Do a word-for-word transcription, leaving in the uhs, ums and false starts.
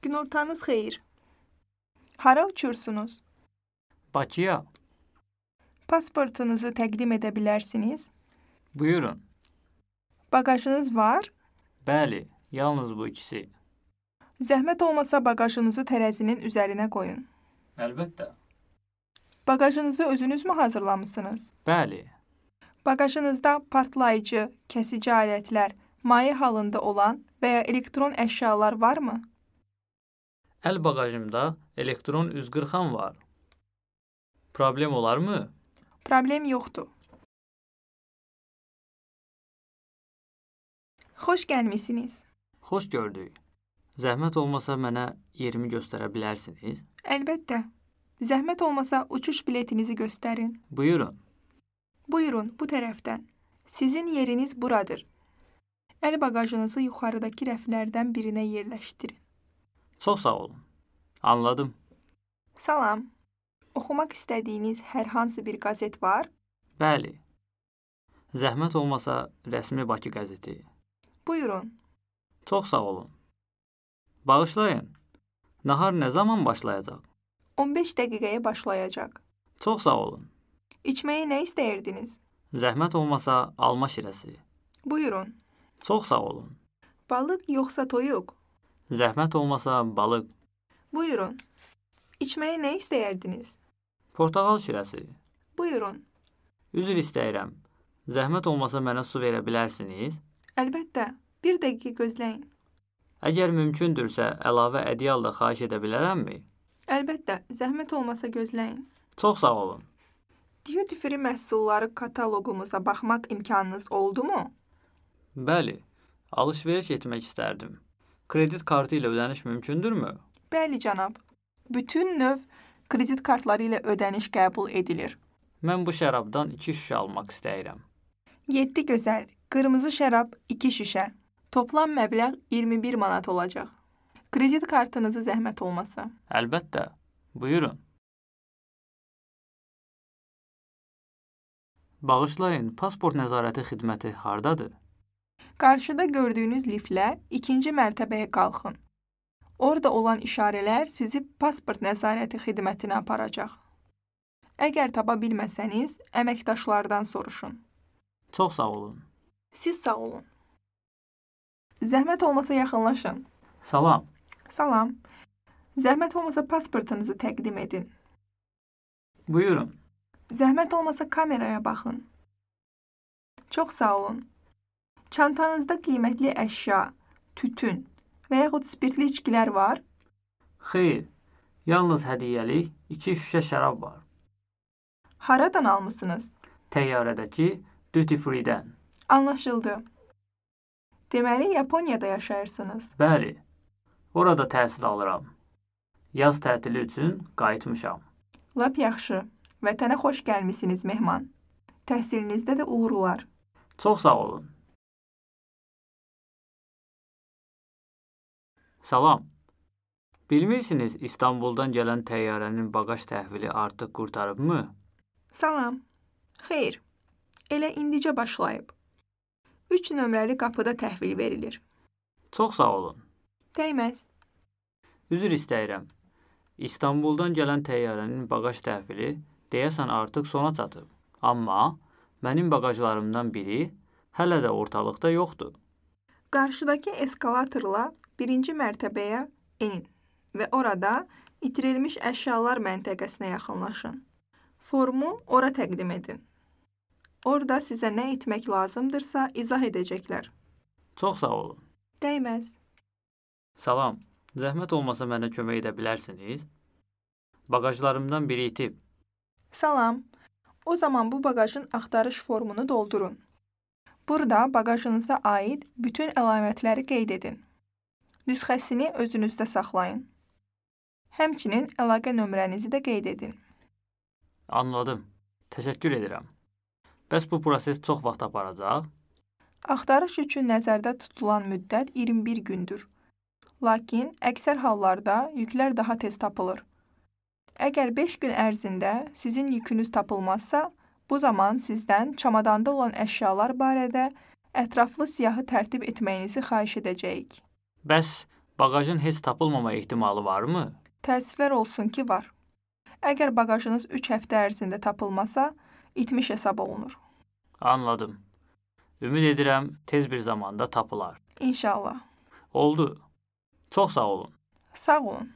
Günortanız xeyir. Hara uçursunuz? Bakıya. Pasportunuzu təqdim edə bilərsiniz. Buyurun. Bagajınız var. Bəli, yalnız bu ikisi. Zəhmət olmasa bagajınızı tərəzinin üzərinə qoyun. Əlbəttə. Bagajınızı özünüz mü hazırlamısınız? Bəli. Bagajınızda partlayıcı, kəsici alətlər, maye halında olan və ya elektron əşyalar varmı? Əl bagajımda elektron üzqırxan var. Problem olarmı? Problem yoxdur. Xoş gəlmisiniz. Xoş gördük. Zəhmət olmasa mənə yerimi göstərə bilərsiniz? Əlbəttə. Zəhmət olmasa uçuş biletinizi göstərin. Buyurun. Buyurun, bu tərəfdən. Sizin yeriniz buradır. Əl bagajınızı yuxarıdakı rəflərdən birinə yerləşdirin. Çox sağ olun. Anladım. Salam. Oxumaq istədiyiniz hər hansı bir qazet var? Bəli. Zəhmət olmasa rəsmi Bakı qəzeti. Buyurun. Çox sağ olun. Bağışlayın. Nahar nə zaman başlayacaq? on beş dəqiqəyə başlayacaq. Çox sağ olun. İçməyə nə istəyirdiniz? Zəhmət olmasa alma şirəsi. Buyurun. Çox sağ olun. Balıq yoxsa toyuq? Zəhmət olmasa balıq. Buyurun. İçməyə nə istəyirdiniz? Portağal şirəsi. Buyurun. Üzr istəyirəm. Zəhmət olmasa mənə su verə bilərsiniz? Əlbəttə. Bir dəqiqə gözləyin. Əgər mümkündürsə, əlavə ədyal da xahiş edə bilərəmmi? Əlbəttə. Zəhmət olmasa gözləyin. Çox sağ olun. Duty free məhsulları kataloqumuza baxmaq imkanınız oldu mu? Bəli. Alış-veriş etmək istərdim. Kredit kartı ilə ödəniş mümkündürmü? Bəli, cənab. Bütün növ kredit kartları ilə ödəniş qəbul edilir. Mən bu şərabdan iki şüşə almaq istəyirəm. yeddi gözəl. Qırmızı şərab iki şüşə. Toplam məbləğ iyirmi bir manat olacaq. Kredit kartınızı zəhmət olmasa. Əlbəttə. Buyurun. Bağışlayın, pasport nəzarəti xidməti hardadır? Qarşıda gördüyünüz liftlə ikinci mərtəbəyə qalxın. Orada olan işarələr sizi pasport nəzarəti xidmətinə aparacaq. Əgər tapa bilməsəniz, əməkdaşlardan soruşun. Çox sağ olun. Siz sağ olun. Zəhmət olmasa yaxınlaşın. Salam. Salam. Zəhmət olmasa pasportunuzu təqdim edin. Buyurun. Zəhmət olmasa kameraya baxın. Çox sağ olun. Çantanızda qiymətli əşya, tütün və yaxud spirtli içkilər var? Xeyr, yalnız hədiyyəlik iki şüşə şərab var. Haradan almısınız? Təyyarədəki duty free-dən. Anlaşıldı. Deməli, Yaponiyada yaşayırsınız. Bəli, orada təhsil alıram. Yaz tətili üçün qayıtmışam. Lap yaxşı. Vətənə xoş gəlmisiniz, mehman. Təhsilinizdə də uğurlar. Çox sağ olun. Salam. Bilmirsiniz, İstanbuldan gələn təyyarənin bagaj təhvili artıq qurtarıbmı? Salam. Xeyr. Elə indicə başlayıb. üç nömrəli qapıda təhvil verilir. Çox sağ olun. Dəyməz. Üzr istəyirəm. İstanbuldan gələn təyyarənin bagaj təhvili deyəsən artıq sona çatıb. Amma mənim bagajlarımdan biri hələ də ortalıqda yoxdur. Qarşıdakı eskalatorla birinci mərtəbəyə enin və orada itirilmiş əşyalar məntəqəsinə yaxınlaşın. Formu ora təqdim edin. Orada sizə nə etmək lazımdırsa izah edəcəklər. Çox sağ olun. Dəyməz. Salam. Zəhmət olmasa mənə kömək edə bilərsiniz? Bagajlarımdan biri itib. Salam. O zaman bu bagajın axtarış formunu doldurun. Burada bagajınıza aid bütün əlamətləri qeyd edin. Nüsxəsini özünüzdə saxlayın. Həmçinin əlaqə nömrənizi də qeyd edin. Anladım. Təşəkkür edirəm. Bəs bu proses çox vaxt aparacaq? Axtarış üçün nəzərdə tutulan müddət iyirmi bir gündür. Lakin əksər hallarda yüklər daha tez tapılır. Əgər beş gün ərzində sizin yükünüz tapılmazsa, bu zaman sizdən çamadanda olan əşyalar barədə ətraflı siyahı tərtib etməyinizi xahiş edəcəyik. Bəs Bagajın heç tapılmama ehtimalı varmı? Təəssüflər olsun ki, var. Əgər bagajınız üç həftə ərzində tapılmasa, itmiş hesab olunur. Anladım. Ümid edirəm tez bir zamanda tapılar. İnşallah. Oldu. Çox sağ olun. Sağ olun.